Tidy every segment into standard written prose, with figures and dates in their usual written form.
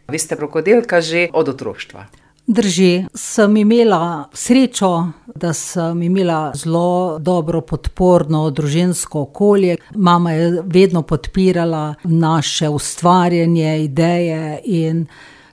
Vi ste rokodelka že od otroštva. Drži, sem imela srečo, da sem imela zelo dobro podporno družinsko okolje. Mama je vedno podpirala naše ustvarjanje, ideje in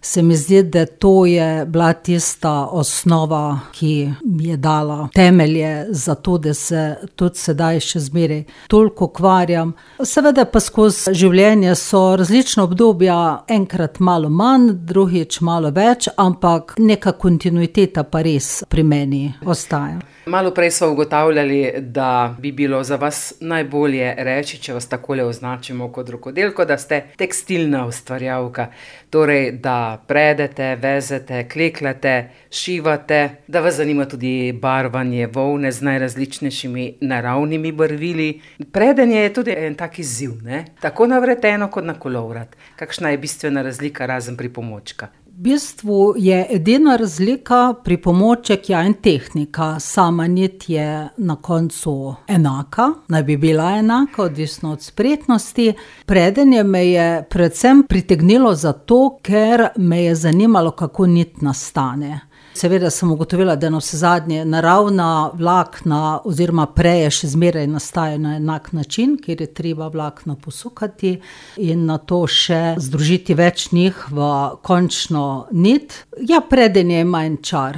se mi zdi, da to je bila tista osnova, ki mi je dala temelje za to, da se tudi sedaj še zmeraj toliko ukvarjam. Seveda pa skozi življenje so različna obdobja, enkrat malo manj, drugič malo več, ampak neka kontinuiteta pa res pri meni ostaja. Malo prej smo ugotavljali, da bi bilo za vas najbolje reči, če vas takole označimo kot rokodelko, da ste tekstilna ustvarjalka. Torej, da predete, vezete, klekljate, šivate, da vas zanima tudi barvanje volne z najrazličnejšimi naravnimi barvili. Predenje je tudi en tak izziv, ne? Tako na vreteno kot na kolovrat. Kakšna je bistvena razlika razen pripomočka? V bistvu je edina razlika pripomoček in tehnika. Sama nit je na koncu enaka, naj bi bila enaka, odvisno od spretnosti. Predenje me je predvsem pritegnilo zato, ker me je zanimalo, kako nit nastane. Seveda sem ugotovila, da navsezadnje naravna vlakna oziroma preje še zmeraj nastajajo na enak način, kjer je treba vlakna posukati in nato še združiti več njih v končno nit. Ja, predenje ima en čar.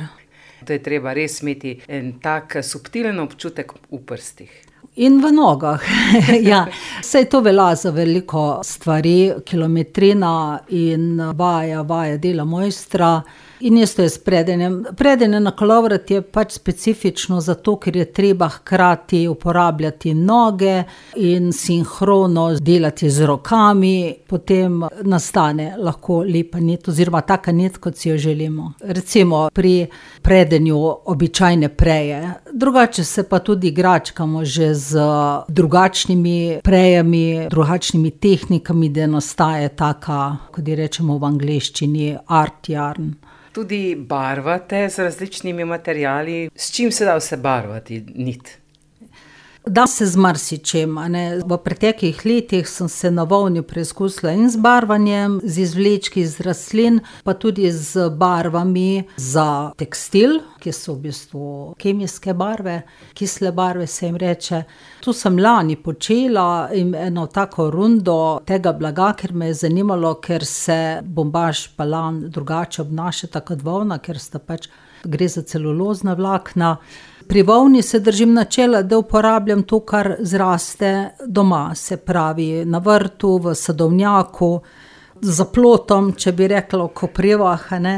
To je treba res imeti en tak subtilen občutek v prstih. In v nogah, ja. Saj to velja za veliko stvari, kilometrina in vaja dela mojstra. In isto je s predenjem. Predenje na kolovrat je pač specifično zato, ker je treba hkrati uporabljati noge in sinhrono delati z rokami, potem nastane lahko lepa nit oziroma taka nit, kot si jo želimo. Recimo pri predenju običajne preje. Drugače se pa tudi igračkamo že z drugačnimi prejami, drugačnimi tehnikami, da nastaja taka, kot ji rečemo v angleščini, art yarn. Tudi barvate z različnimi materiali. S čim se da vse barvati nit? Da se z marsičem, ne. V preteklih letih sem se na volni preizkusila in z barvanjem, z izvlečki iz rastlin, pa tudi z barvami za tekstil, ki so v bistvu kemijske barve, kisle barve se jim reče. Tu sem lani počela eno tako rundo tega blaga, ker me je zanimalo, ker se bombaž pa lan drugače obnašata kot volna, ker sta pač, gre za celulozna vlakna. Pri volni se držim načela, da uporabljam to, kar zraste doma, se pravi na vrtu, v sadovnjaku, za plotom, če bi rekla v koprivah, ne.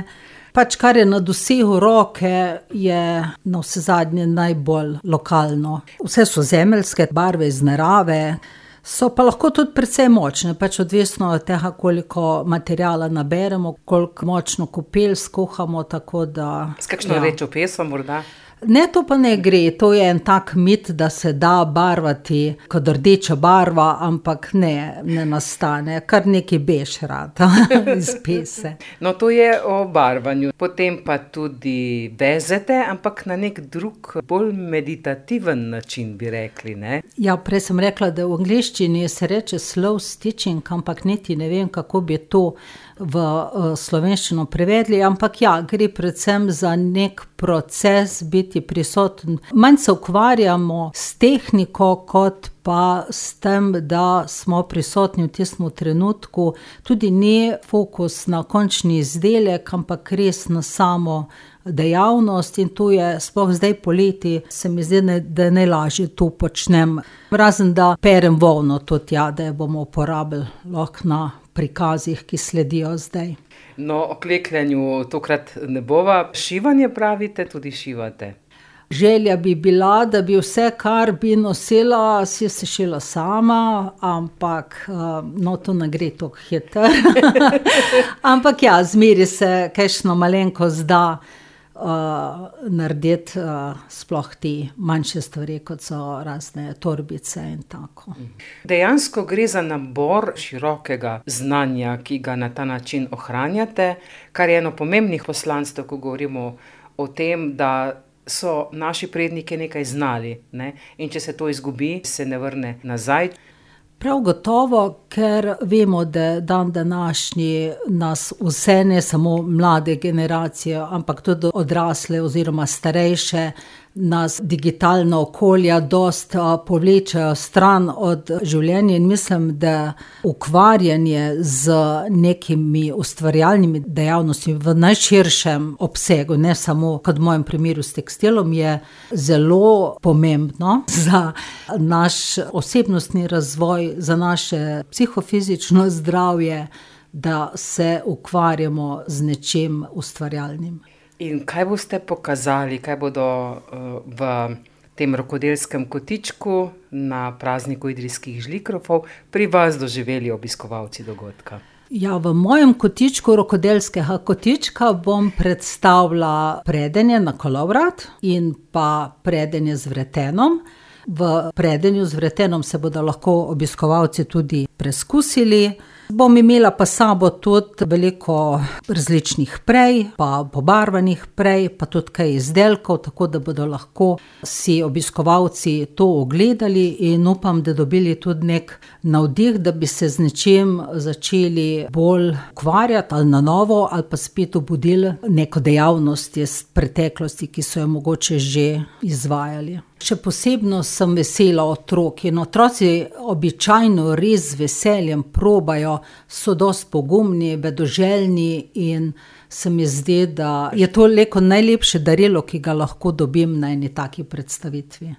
Pač kar je na dosegu roke, je navsezadnje najbolj lokalno. Vse so zemeljske barve iz narave, so pa lahko tudi precej močne, pač odvisno od tega, koliko materiala naberemo, koliko močno kopel skuhamo, tako da... S kakšno rdečo peso morda? Ne, to pa ne gre, to je en tak mit, da se da barvati kot rdeča barva, ampak ne nastane, kar neki bež rad iz pese. No, to je o barvanju, potem pa tudi vezete, ampak na nek drug, bolj meditativen način, bi rekli, ne? Ja, prej sem rekla, da v angleščini se reče slow stitching, ampak niti ne vem, kako bi to v slovenščino prevedli, ampak ja, gre predvsem za nek proces biti prisoten. Manj se ukvarjamo s tehniko, kot pa s tem, da smo prisotni v tistem trenutku. Tudi ni fokus na končni izdelek, ampak res na samo dejavnost in to je, sploh zdaj poleti, se mi zdi, da najlažje to počnem. Razen da perem volno tudi, ja, da jo bomo uporabili lahko na prikazih, ki sledijo zdaj. No, o klekljanju tokrat ne bova. Šivanje pravite, tudi šivate? Želja bi bila, da bi vse, kar bi nosila, si sešila sama, ampak no, to ne gre toliko hitro. Ampak ja, zmeri se kakšno malenkost da narediti, sploh ti manjše stvari, kot so razne torbice in tako. Dejansko gre za nabor širokega znanja, ki ga na ta način ohranjate, kar je eno pomembnih poslanstev, ko govorimo o tem, da so naši predniki nekaj znali, ne? In če se to izgubi, se ne vrne nazaj. Prav gotovo, ker vemo, da dan današnji nas vse, ne samo mlade generacije, ampak tudi odrasle oziroma starejše, nas digitalna okolja dosti povlečejo stran od življenja in mislim, da ukvarjanje z nekimi ustvarjalnimi dejavnostmi v najširšem obsegu, ne samo kot v mojem primeru s tekstilom, je zelo pomembno za naš osebnostni razvoj, za naše psihofizično zdravje, da se ukvarjamo z nečim ustvarjalnim. In kaj boste pokazali, kaj bodo v tem rokodelskem kotičku na prazniku idrijskih žlikrofov pri vas doživeli obiskovalci dogodka? Ja, v mojem kotičku rokodelskega kotička bom predstavila predenje na kolovrat in pa predenje z vretenom. V predenju z vretenom se bodo lahko obiskovalci tudi preskusili. Bom imela pa sabo tudi veliko različnih prej, pa pobarvanih prej, pa tudi kaj izdelkov, tako da bodo lahko si obiskovalci to ogledali in upam, da dobili tudi nek navdih, da bi se z nečim začeli bolj ukvarjati ali na novo, ali pa spet obudili neko dejavnost iz preteklosti, ki so jo mogoče že izvajali. Še posebno sem vesela otrok in otroci običajno res z veseljem probajo, so dosti pogumni, vedoželjni in se mi zdi, da je to najlepše darilo, ki ga lahko dobim na eni taki predstavitvi.